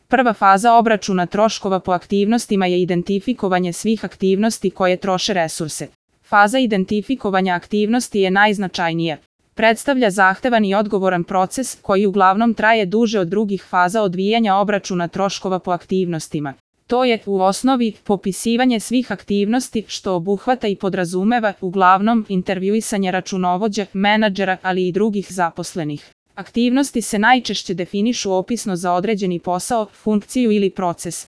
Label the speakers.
Speaker 1: Prva faza obračuna troškova po aktivnostima je identifikovanje svih aktivnosti koje troše resurse. Faza identifikovanja aktivnosti je najznačajnija. Predstavlja zahtevan i odgovoran proces koji uglavnom traje duže od drugih faza odvijanja obračuna troškova po aktivnostima. To je, u osnovi, popisivanje svih aktivnosti, što obuhvata i podrazumeva, uglavnom, intervjuisanje računovođe, menadžera, ali i drugih zaposlenih. Aktivnosti se najčešće definišu opisno za određeni posao, funkciju ili proces.